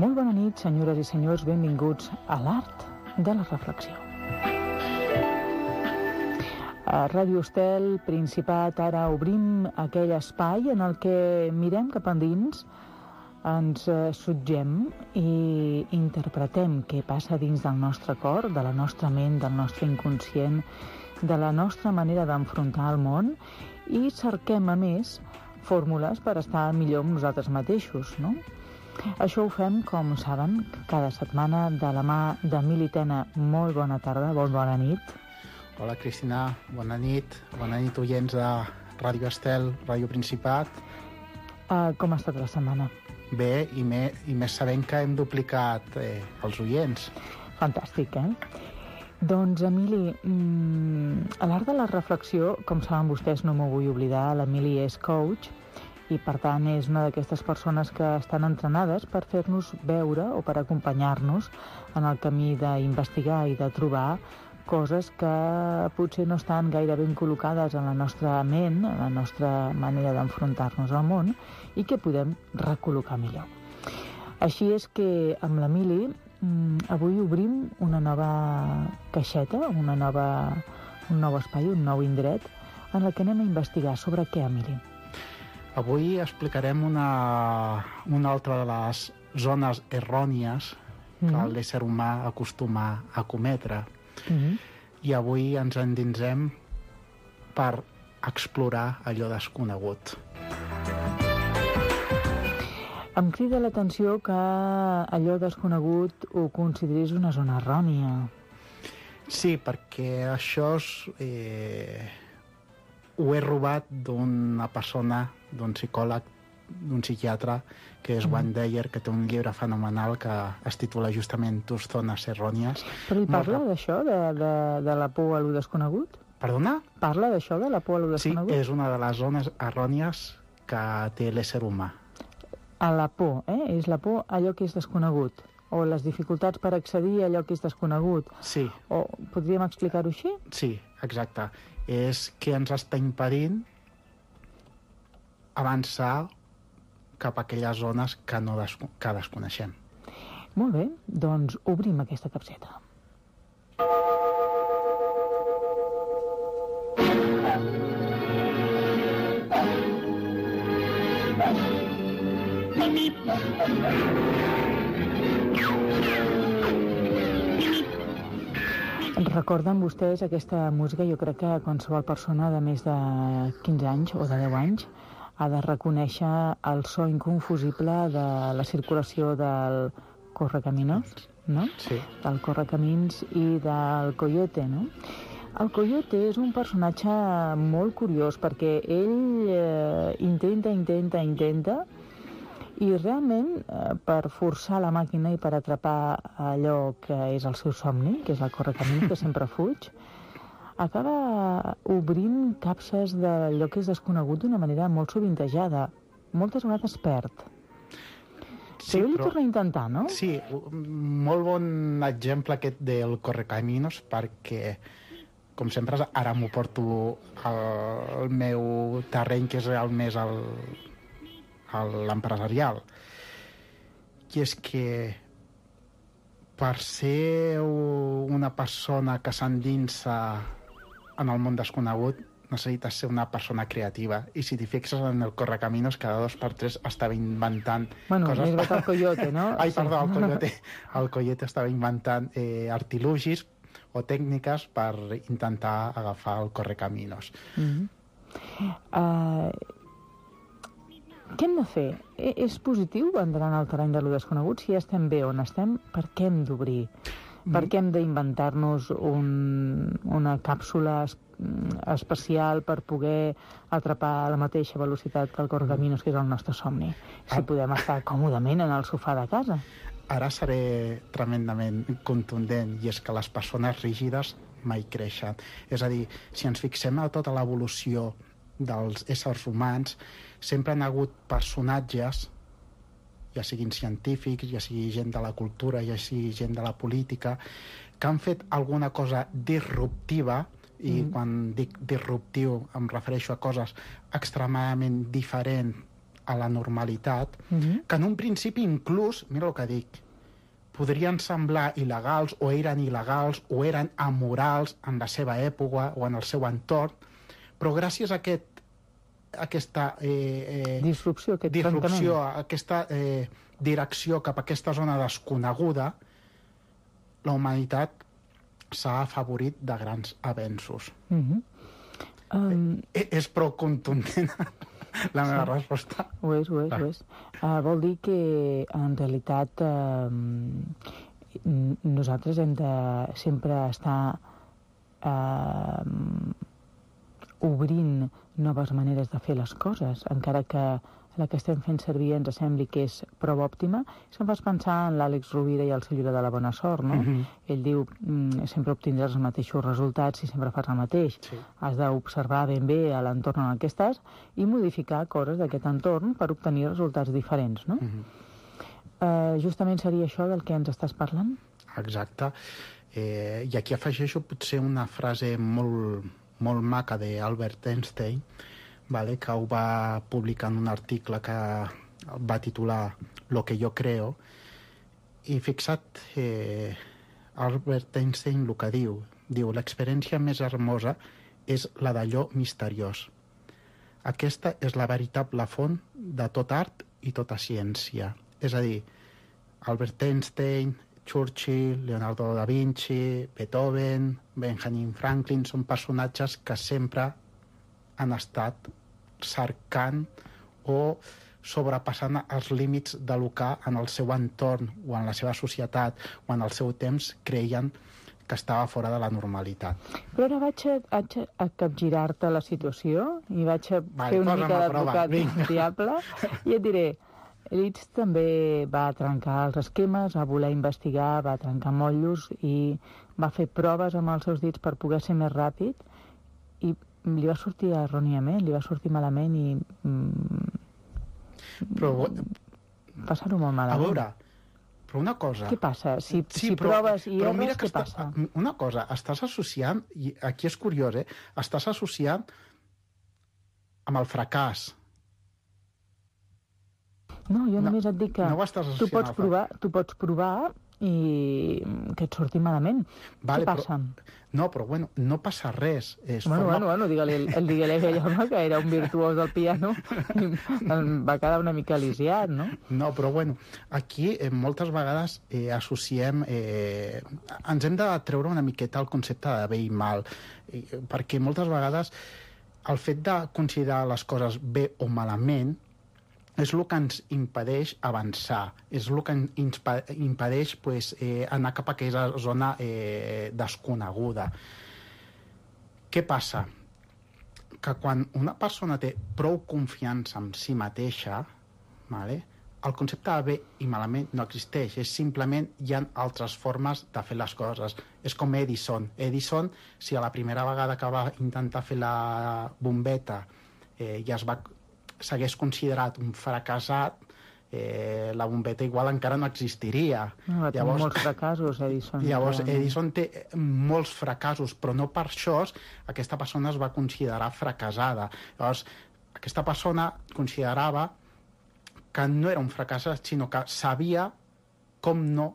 Molt bona nit, senyores i senyors, benvinguts a l'art de la reflexió. A Ràdio Estel, Principat, ara obrim aquell espai en el que mirem cap endins, ens sotgem i interpretem què passa dins del nostre cor, de la nostra ment, del nostre inconscient, de la nostra manera d'enfrontar el món i cerquem, a més, fórmules per estar millor amb nosaltres mateixos, no? Això ho fem, com saben, cada setmana de la mà d'Emili Tena. Molt bona tarda, bona nit. Hola, Cristina, bona nit oients de Ràdio Estel, Ràdio Principat. Com ha estat la setmana? Bé, i més sabent que hem duplicat els oients. Fantàstic, Doncs, Emili, a l'art de la reflexió, com saben vostès, no m'ho vull oblidar, l'Emili és coach i, per tant, és una d'aquestes persones que estan entrenades per fer-nos veure o per acompanyar-nos en el camí d'investigar i de trobar coses que potser no estan gaire ben col·locades en la nostra ment, en la nostra manera d'enfrontar-nos al món i que podem recol·locar millor. Així és que amb l'Emili avui obrim una nova caixeta, un nou espai, un nou indret en el que anem a investigar sobre què, Emili? Avui explicarem una altra de les zones errònies que l'ésser humà acostuma a cometre. I avui ens endinsem per explorar allò desconegut. Em crida l'atenció que allò desconegut ho consideris una zona errònia. Sí, perquè això ho he robat d'una persona, d'un psicòleg, d'un psiquiatre, que és Wayne Dyer, que té un llibre fenomenal que es titula justament Tus zones errònies. Però hi parla d'això, de la por a lo desconegut? Perdona? Parla d'això, de la por a lo desconegut? Sí, és una de les zones errònies que té l'ésser humà. A la por, És la por a allò que és desconegut, o les dificultats per accedir a allò que és desconegut. Sí. O podríem explicar-ho així? Sí, exacte. És que ens està impedint avançar cap a aquelles zones que desconeixem. Molt bé, doncs obrim aquesta capseta. Recorden vostès aquesta música? Jo crec que qualsevol persona de més de 15 anys o de 10 anys ha de reconèixer el so inconfusible de la circulació del Correcaminos, no? Sí. Del Correcamins i del Coyote, no? El Coyote és un personatge molt curiós perquè ell intenta i realment per forçar la màquina i per atrapar allò que és el seu somni, que és el Correcamins, que sempre fuig, acaba obrint capses d'allò que és desconegut d'una manera molt sovintejada. Moltes vegades perd. Sí, però ell ho torna a intentar, no? Sí, molt bon exemple aquest del Correcaminos, perquè, com sempre, ara m'ho porto al meu terreny, que és més l'empresarial. I és que per ser una persona que s'endinsa en el món desconegut necessites ser una persona creativa, i si t'hi fixes en el Correcaminos, cada 2 per 3 estava inventant coses. Més el Coyote, no? Ai, perdó, el Coyote. El Coyote estava inventant artilugis o tècniques per intentar agafar el Correcaminos. Què hem de fer? És positiu entrar en el terreny de lo desconegut? Si ja estem bé on estem, per què hem d'obrir? Per què hem d'inventar-nos una càpsula especial per poder atrapar a la mateixa velocitat que el Correcaminos, que és el nostre somni? Si podem estar còmodament en el sofà de casa. Ara seré tremendament contundent, i és que les persones rígides mai creixen. És a dir, si ens fixem a tota l'evolució dels éssers humans, sempre han hagut personatges, ja siguin científics, ja sigui gent de la cultura, ja sigui gent de la política, que han fet alguna cosa disruptiva, i quan dic disruptiu em refereixo a coses extremadament diferents a la normalitat, que en un principi inclús, mira el que dic, podrien semblar il·legals o eren il·legals o eren amorals en la seva època o en el seu entorn, però gràcies a aquesta disrupció, aquesta direcció cap a aquesta zona desconeguda, la humanitat s'ha afavorit de grans avenços. És prou contundent la meva resposta. Ho és. Vol dir que, en realitat, nosaltres hem de sempre estar obrint noves maneres de fer les coses, encara que la que estem fent servir ens sembli que és prou òptima. Això em fas pensar en l'Àlex Rovira i el seu llibre de la bona sort, no? Ell diu, sempre obtindràs els mateixos resultats si sempre fas el mateix. Sí. Has d'observar ben bé a l'entorn en què estàs i modificar coses d'aquest entorn per obtenir resultats diferents, no? Justament seria això del que ens estàs parlant? Exacte. I aquí afegeixo potser una frase molt maca d'Albert Einstein, vale, que ho va publicar en un article que va titular Lo que yo creo, i fixa't Albert Einstein el que diu l'experiència més hermosa és la d'allò misteriós. Aquesta és la veritable font de tot art i tota ciència. És a dir, Albert Einstein, Churchill, Leonardo da Vinci, Beethoven, Benjamin Franklin són personatges que sempre han estat cercant o sobrepassant els límits de lo que en el seu entorn o en la seva societat o en el seu temps creien que estava fora de la normalitat. Però ara vaig a capgirar-te la situació i vaig a fer una mica d'advocat diable i et diré, Liszt també va trencar els esquemes, va voler investigar, va trencar motllos i va fer proves amb els seus dits per poder ser més ràpid i li va sortir erròniament, li va sortir malament i passar-ho molt malament. A veure, però una cosa... Què passa? Si proves i erres, què passa? Una cosa, estàs associant, i aquí és curiós, estàs associant amb el fracàs. No, jo només et dic que tu pots provar i que et surti malament. Què passa? No, però bueno, no passa res. Bueno, digue-li a aquell home que era un virtuós del piano i va quedar una mica lisiat, no? No, però bueno, aquí moltes vegades associem... ens hem de treure una miqueta el concepte de bé i mal, perquè moltes vegades el fet de considerar les coses bé o malament és el que ens impedeix avançar, és el que ens impedeix anar cap a aquella zona desconeguda. Què passa? Que quan una persona té prou confiança en si mateixa, el concepte de bé i malament no existeix, és simplement hi ha altres formes de fer les coses. És com Edison. Edison, si a la primera vegada que va intentar fer la bombeta ja s'hagués considerat un fracassat, la bombeta igual encara no existiria. Llavors, molts fracassos, Edison. Llavors, Edison té molts fracassos, però no per això aquesta persona es va considerar fracassada. Llavors, aquesta persona considerava que no era un fracassat, sinó que sabia com no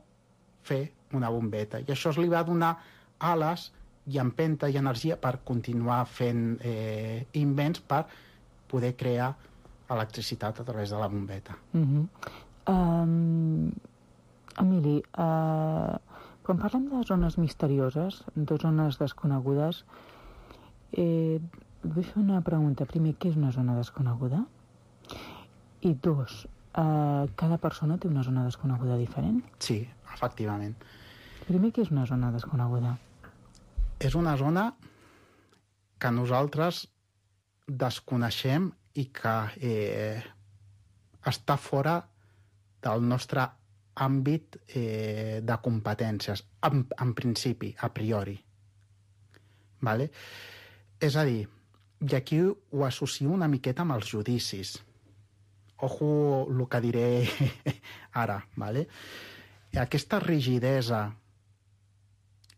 fer una bombeta. I això li va donar ales i empenta i energia per continuar fent invents per poder crear electricitat a través de la bombeta. Emili, quan parlem de zones misterioses, de zones desconegudes, vull fer una pregunta. Primer, què és una zona desconeguda? I dos, cada persona té una zona desconeguda diferent? Sí, efectivament. Primer, què és una zona desconeguda? És una zona que nosaltres desconeixem i que està fora del nostre àmbit de competències, en principi, a priori. Vale? És a dir, i aquí ho associo una miqueta amb els judicis. Ojo el que diré ara. Vale? Aquesta rigidesa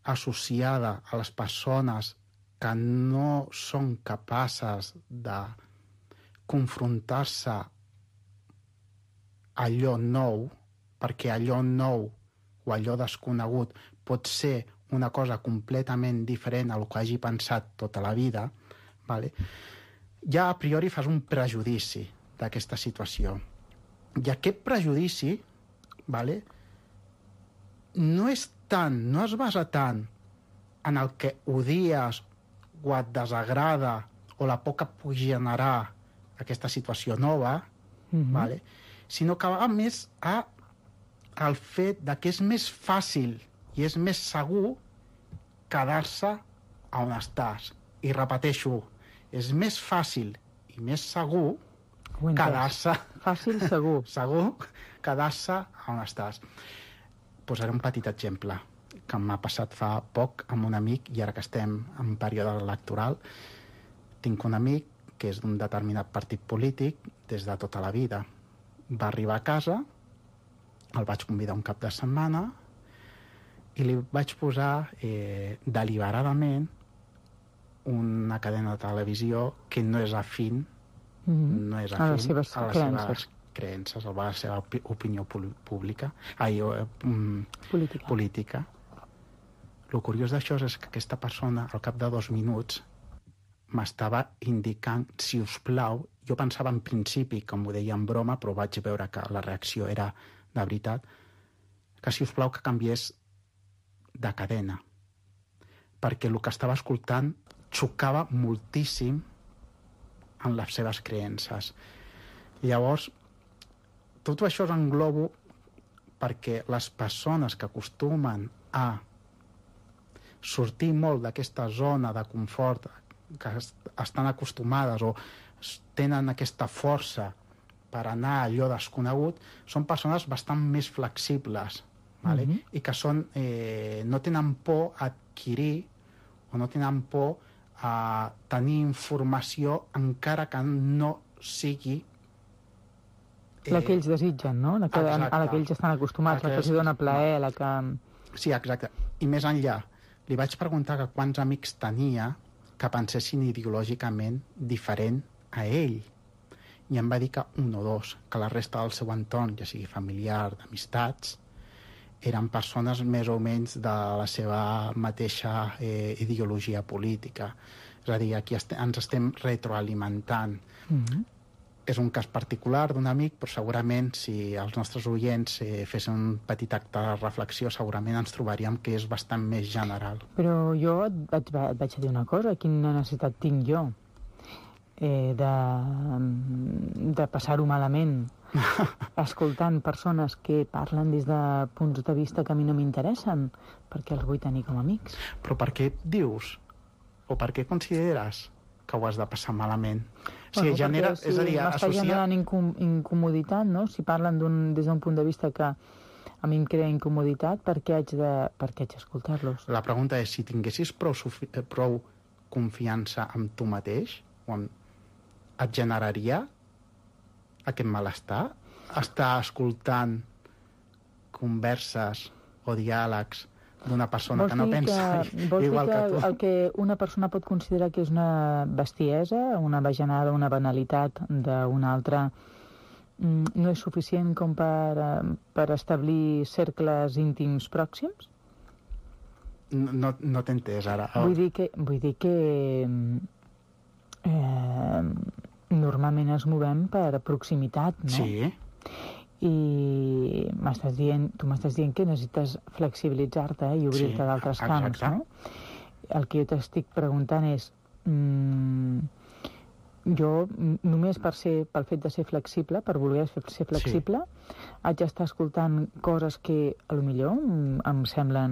associada a les persones que no són capaces de confrontar-se allò nou, perquè allò nou o allò desconegut pot ser una cosa completament diferent a el que hagi pensat tota la vida, vale? Ja a priori fas un prejudici d'aquesta situació. I aquest prejudici, vale, no es basa tant en el que odies o et desagrada o la por que pugui generar aquesta situació nova, vale? Sinó que va més al fet de que és més fàcil i és més segur quedar-se on estàs. I repeteixo, és més fàcil i més segur quedar-se... Fàcil, segur. Segur quedar-se on estàs. Posaré un petit exemple que m'ha passat fa poc amb un amic, i ara que estem en període electoral, tinc un amic que és d'un determinat partit polític des de tota la vida. Va arribar a casa, el vaig convidar un cap de setmana i li vaig posar deliberadament una cadena de televisió que no és afín, no és afín a les seves creences, a la seva opinió política. El curiós d'això és que aquesta persona, al cap de 2 minuts, m'estava indicant, si us plau, jo pensava en principi, com ho deia en broma, però vaig veure que la reacció era de veritat, que si us plau que canviés de cadena, perquè el que estava escoltant xocava moltíssim en les seves creences. Llavors, tot això ho englobo perquè les persones que acostumen a sortir molt d'aquesta zona de confort, que estan acostumades o tenen aquesta força per anar a allò desconegut, són persones bastant més flexibles, vale? I que són, no tenen por a adquirir o no tenen por a tenir informació encara que no sigui la que ells desitgen, no? A la que ells estan acostumats, la que els dona plaer, la que... Sí, exacte. I més enllà, li vaig preguntar que quants amics tenia que pensessin ideològicament diferent a ell. I em va dir que 1 o 2, que la resta del seu entorn, ja sigui familiar, d'amistats, eren persones més o menys de la seva mateixa ideologia política. És a dir, aquí ens estem retroalimentant. És un cas particular d'un amic, però segurament si els nostres oients fessin un petit acte de reflexió, segurament ens trobaríem que és bastant més general. Però jo et vaig dir una cosa, quina necessitat tinc jo de passar-ho malament escoltant persones que parlen des de punts de vista que a mi no m'interessen, perquè els vull tenir com a amics. Però per què dius? O per què consideres que ho has de passar malament? Bueno, m'està generant incomoditat, no? Si parlen des d'un punt de vista que a mi em crea incomoditat, per què haig d'escoltar-los? La pregunta és, si tinguessis prou confiança en tu mateix, et generaria aquest malestar? Estar escoltant converses o diàlegs d'una persona que no pensa igual que tu. El que una persona pot considerar que és una bestiesa, una bajanada, una banalitat d'una altra, no és suficient com per establir cercles íntims pròxims? No t'he entès ara. Vull dir que normalment ens movem per proximitat, no? Sí. I tu m'estàs dient que necessites flexibilitzar-te i obrir-te d'altres camps, no? El que jo t'estic preguntant és, jo només pel fet de ser flexible, per voler ser flexible, haig d'estar escoltant coses que potser em semblen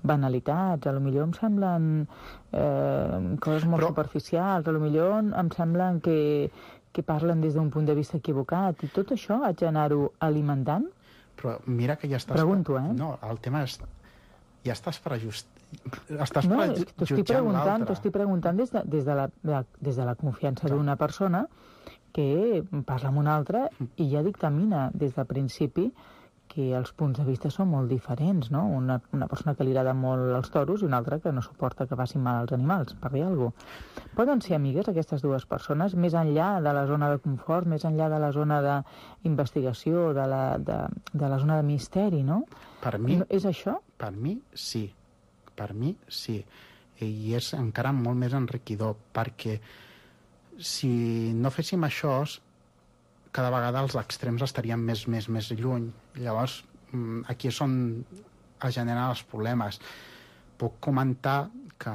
banalitats, potser em semblen coses molt superficials, potser em semblen que parlen des d'un punt de vista equivocat, i tot això haig d'anar-ho alimentant? Però mira que ja estàs... Pregunto, No, el tema és... Ja estàs prejutjant t'ho estic preguntant des de la confiança d'una persona que parla amb una altra i ja dictamina des del principi perquè els punts de vista són molt diferents, no? Una persona que li agrada molt els toros i una altra que no suporta que facin mal als animals, per dir alguna cosa. Poden ser amigues aquestes dues persones, més enllà de la zona de confort, més enllà de la zona d'investigació, de la zona de misteri, no? Per mi... És això? Per mi, sí. Per mi, sí. I és encara molt més enriquidor, perquè si no féssim això, cada vegada els extrems estarien més lluny. Llavors, aquí és on es generen els problemes. Puc comentar que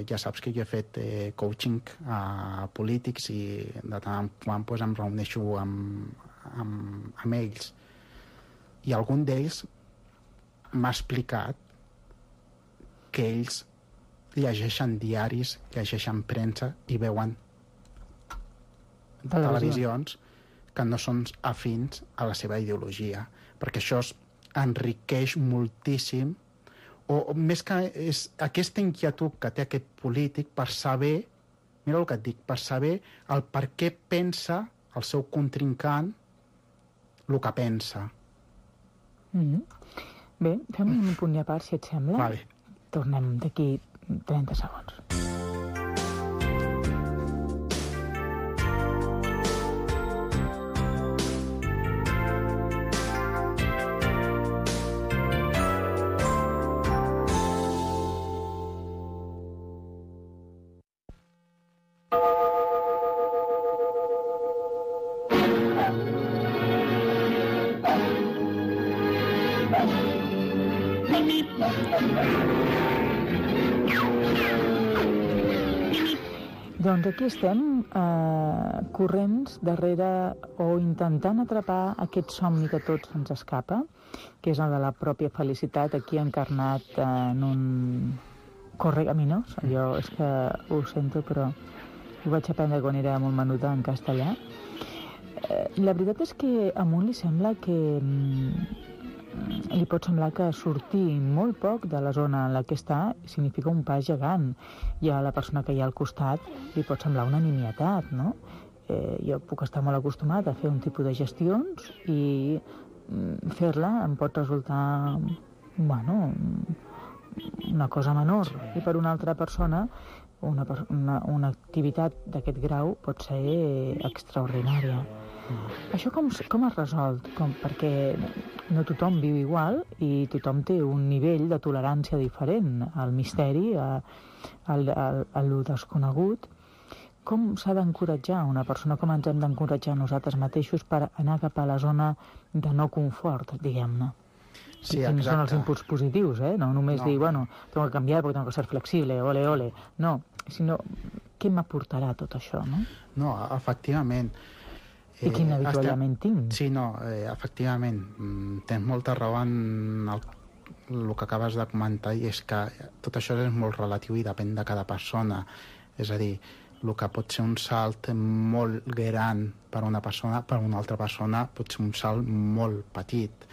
ja saps que jo he fet coaching a polítics i de tant en quant doncs, em reuneixo amb ells. I algun d'ells m'ha explicat que ells llegeixen diaris, llegeixen premsa i veuen televisions que no són afins a la seva ideologia, perquè això enriqueix moltíssim, o més que és aquesta inquietud que té aquest polític per saber, mira el que et dic, per saber el per què pensa el seu contrincant el que pensa. Bé, fem un punt i a part, si et sembla. Vale. Tornem d'aquí 30 segons. Doncs aquí estem, corrents darrere o intentant atrapar aquest somni que tots ens escapa, que és el de la pròpia felicitat, aquí encarnat en un correcaminos. Jo és que ho sento, però ho vaig aprendre quan era molt menuda en castellà. La veritat és que a un li sembla que... li pot semblar que sortir molt poc de la zona en la que està significa un pas gegant, i a la persona que hi ha al costat li pot semblar una nimietat, no? Jo puc estar molt acostumat a fer un tipus de gestions i fer-la em pot resultar, bueno, una cosa menor, i per una altra persona una activitat d'aquest grau pot ser extraordinària. Això com es resol? Perquè no tothom viu igual i tothom té un nivell de tolerància diferent al misteri, a lo desconegut. Com s'ha d'encoratjar una persona? Com ens hem d'encoratjar nosaltres mateixos per anar cap a la zona de no confort, diguem-ne? Sí, quins són els inputs positius, no només dir, bueno, tengo que cambiar porque tengo que ser flexible, ole, ole. No, sinó què m'aportarà tot això, no? No, efectivament. I quin avituallament tinc. Sí, no, efectivament. Tens molta raó en el que acabes de comentar, i és que tot això és molt relatiu i depèn de cada persona. És a dir, el que pot ser un salt molt gran per una persona, per una altra persona pot ser un salt molt petit.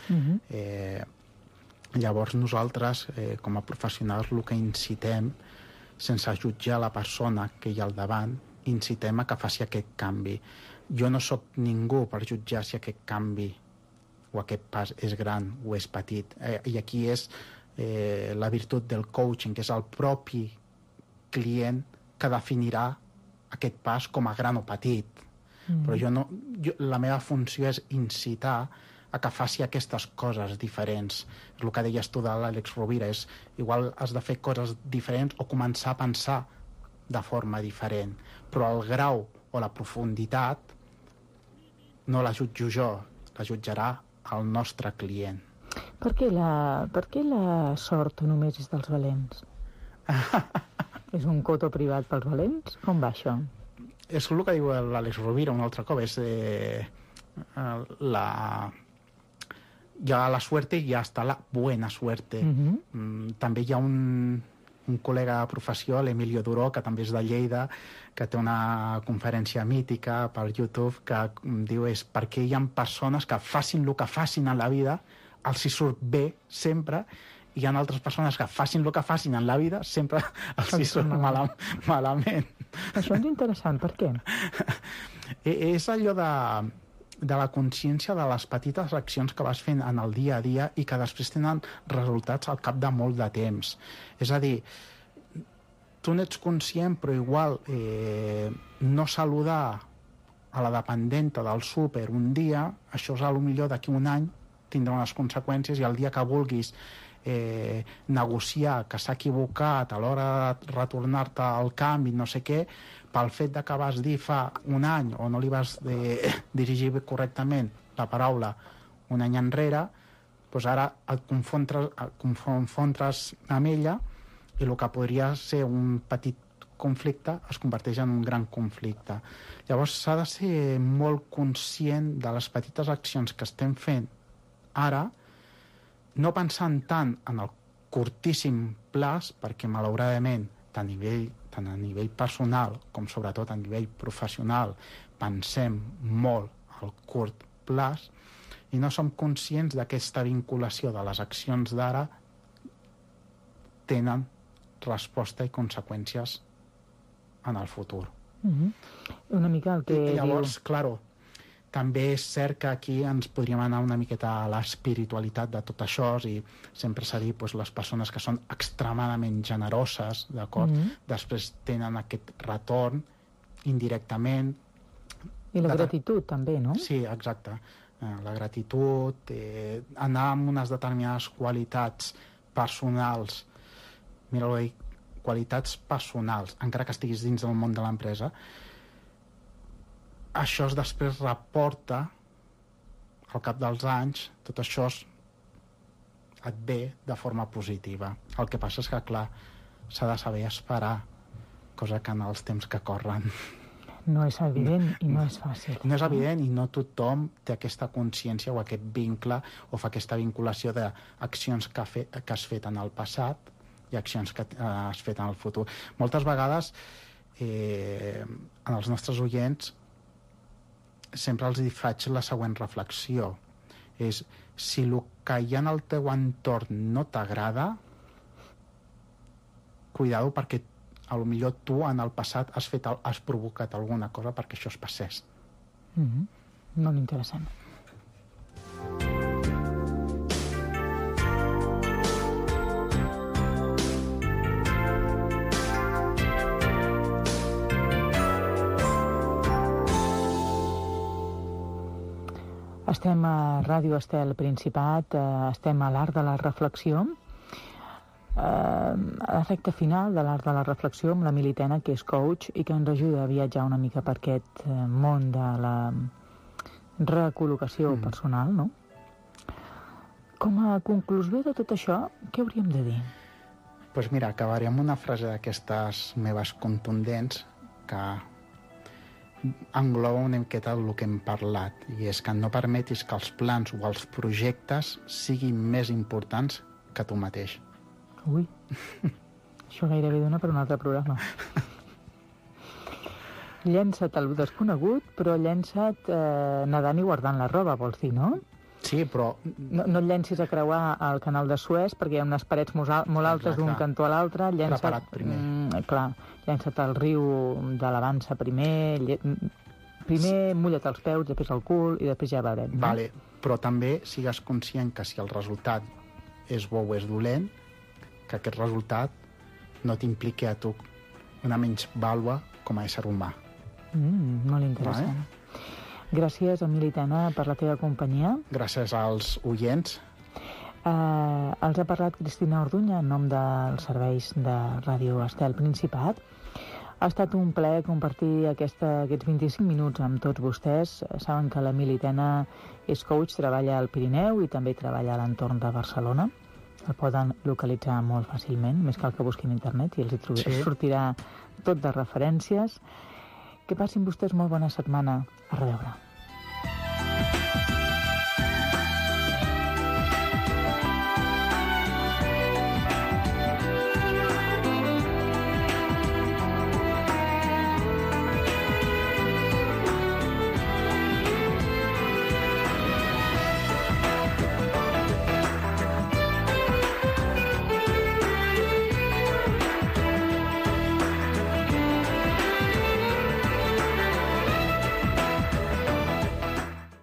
Llavors nosaltres, com a professionals, el que incitem, sense jutjar la persona que hi ha al davant, incitem a que faci aquest canvi. Jo no sóc ningú per jutjar si aquest canvi o aquest pas és gran o és petit. I aquí és la virtut del coaching, que és el propi client que definirà aquest pas com a gran o petit. Però la meva funció és incitar a que faci aquestes coses diferents. És el que deies tu de l'Àlex Rovira, és igual has de fer coses diferents o començar a pensar de forma diferent. Però el grau o la profunditat no la jutjo jo, la jutjarà el nostre client. Per què la sort només és dels valents? És un coto privat pels valents? Com va això? És el que diu l'Àlex Rovira un altre cop, és hi ha la suerte i hasta la buena suerte. També hi ha un col·lega de professió, l'Emilio Duró, que també és de Lleida, que té una conferència mítica per YouTube que diu és per què hi ha persones que facin el que facin en la vida els hi surt bé sempre, i hi ha altres persones que facin el que facin en la vida sempre els hi surt malament. Això és interessant, per què? És allò de... de la consciència de les petites accions que vas fent en el dia a dia i que després tenen resultats al cap de molt de temps. És a dir, tu n'ets conscient, però igual no saludar a la dependenta del súper un dia, això és potser d'aquí un any tindrà unes conseqüències, i el dia que vulguis negociar que s'ha equivocat a l'hora de retornar-te al canvi, no sé què, pel fet de que vas dir fa un any o no li vas dirigir correctament la paraula un any enrere, doncs ara et confrontes amb ella i el que podria ser un petit conflicte es converteix en un gran conflicte. Llavors s'ha de ser molt conscient de les petites accions que estem fent ara, no pensant tant en el curtíssim plaç, perquè malauradament tant a nivell personal com sobretot a nivell professional pensem molt al curt plaç i no som conscients d'aquesta vinculació de les accions d'ara tenen resposta i conseqüències en el futur. Una mica el que I llavors, diu... claro, també és cert que aquí ens podríem anar una miqueta a l'espiritualitat de tot això, i sempre s'ha dit les persones que són extremadament generoses, d'acord? Després tenen aquest retorn indirectament. I la gratitud també, no? Sí, exacte. La gratitud, anar amb unes determinades qualitats personals, mira-ho bé, qualitats personals, encara que estiguis dins del món de l'empresa, això després reporta al cap dels anys, tot això et ve de forma positiva. El que passa és que, clar, s'ha de saber esperar, cosa que en els temps que corren no és evident i no és fàcil. No és evident i no tothom té aquesta consciència o aquest vincle o fa aquesta vinculació d'accions que has fet en el passat i accions que has fet en el futur. Moltes vegades en els nostres oients sempre els faig la següent reflexió. És, si el que hi ha en el teu entorn no t'agrada, cuidado, perquè potser tu en el passat has provocat alguna cosa perquè això es passés. Molt interessant. Estem a Ràdio Estel Principat, estem a l'Art de la Reflexió, a la recta final de l'Art de la Reflexió amb la Militena, que és coach i que ens ajuda a viatjar una mica per aquest món de la recol·locació personal, no? Com a conclusió de tot això, què hauríem de dir? Doncs mira, acabaré amb una frase d'aquestes meves contundents que engloba una miqueta el que hem parlat, i és que no permetis que els plans o els projectes siguin més importants que tu mateix. Ui, això gairebé dona per un altre programa. Llença't al desconegut, però llença't nedant i guardant la roba, vols dir, no? Sí, però... No et llencis a creuar el canal de Suez perquè hi ha unes parets molt altes d'un cantó a l'altre. Preparat primer. Clar, llença't al riu de l'Avança primer, primer mulla't els peus, després el cul i després ja veurem. No? Vale, però també sigues conscient que si el resultat és bo o és dolent, que aquest resultat no t'impliqui a tu una menysvàlua com a ésser humà. Molt interessant. Vale? Gràcies, Emili Tena, per la teva companyia. Gràcies als oients. Els ha parlat Cristina Orduña en nom dels serveis de Ràdio Estel Principat. Ha estat un plaer compartir aquests 25 minuts amb tots vostès. Saben que l'Emili Tena és coach, treballa al Pirineu i també treballa a l'entorn de Barcelona. El poden localitzar molt fàcilment, més cal que busquin a internet i els sortirà tot de referències. Que passin vostès molt bona setmana. A reveure.